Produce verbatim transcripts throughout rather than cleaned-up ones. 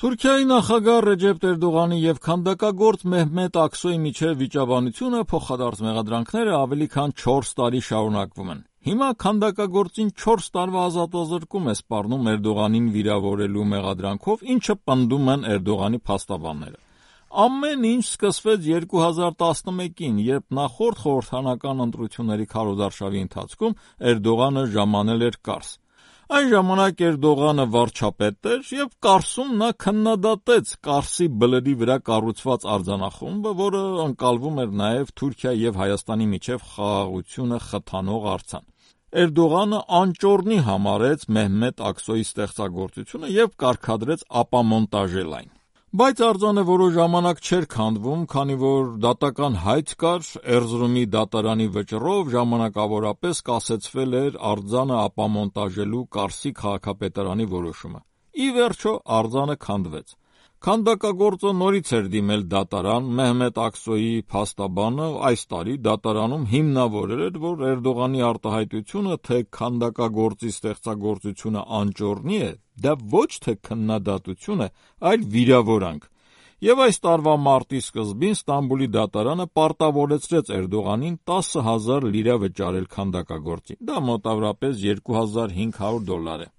Թուրքիայի նախագահ Ռեջեփ Էրդողանի եւ քանդակագործ Մեհմեդ Աքսոյի միջև վիճաբանությունը փոխադարձ մեղադրանքները ավելի քան չորս տարի շարունակվում են։ Հիմա քանդակագործին չորս տարվա ազատազրկում է սպառնում Էրդողանին վիրավորելու մեղադրանքով, ինչը պնդում են Էրդողանի փաստաբանները։ Ամեն ինչ սկսվեց երկու հազար տասնմեկին, երբ նախորդ խորհրդանական ընտրությունների քարոզարշավի ընթացքում Էրդողանը ժամանել էր Կարս։ Այն ժամանակ Էրդողանը վարչապետ էր եւ Կարսում նա քննադատեց Կարսի բլրի վրա կառուցված արձանախումբը, որը ընկալվում էր նաեւ Թուրքիայի եւ Հայաստանի միջև խաղաղությունը խթանող արձան։ Էրդողանը անճոռնի համարեց Մեհմեդ Աքսոյի ստեղծագործությունը եւ կարգադրեց ապամոնտաժել այն։ Բայց արձանը որոշ ժամանակ չէր քանդվում, քանի որ դատական հայց կար, Էրզրումի դատարանի վճռով ժամանակավորապես կասեցվել էր արձանը ապամոնտաժելու Կարսի քաղաքապետարանի որոշումը։ Ի վերջո արձանը քանդվեց։ Քանդակագործը նորից էր դիմել դատարան, Մեհմեդ Աքսոյի փաստաբանը այս տարի դատարանում հիմնավորել էր, որ Էրդողանի արտահայտությունը, թե քանդակագործի ստեղծագործությունը անճոռնի է, դա ոչ թե քննադատություն է, այլ վիրավորանք։ Եվ այս տարվա մարտի սկզբին Ստամբուլի դատարանը պարտավորեցրեց Էրդողանին տասը հազար լիրա վճարել քանդակագործին։ Դա մոտավորապես երկու հազար հինգ հարյուր դոլար է։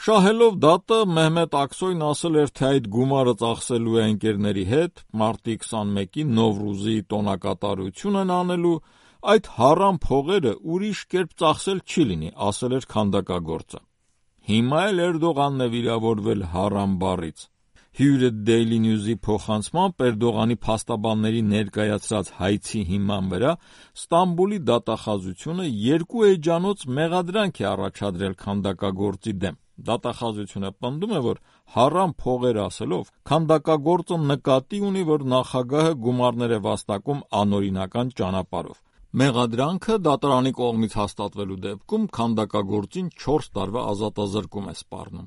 Շահելով դատը, Մեհմեդ Աքսոյն ասել էր, թե այդ գումարը ծախսելու է ընկերների հետ, մարտի քսանմեկին Նովրուզի տոնակատարությունն անելու, այդ հարամ փողերը ուրիշ կերպ ծախսել չի լինի, ասել էր քանդակագործը։ Հիմա էլ Էրդողանն է վիրավորվել հարամ բառից։ Հյուրը Daily News-ի փոխանցմամբ Էրդողանի փաստաբանների ներկայացրած հայցի հիման վրա Ստամբուլի դատախազությունը երկու էջանոց մեղադրանք է առաջադրել քանդակագործի դեմ։ Դատախազությունը պնդում է, որ հարամ փողեր ասելով քանդակագործը նկատի ունի, որ նախագահը գումարներ է վաստակում անօրինական ճանապարհով։ Մեղադրանքը դատարանի կողմից հաստատվելու դեպքում քանդակագործին չորս տարվա ազատազրկում է սպառնում։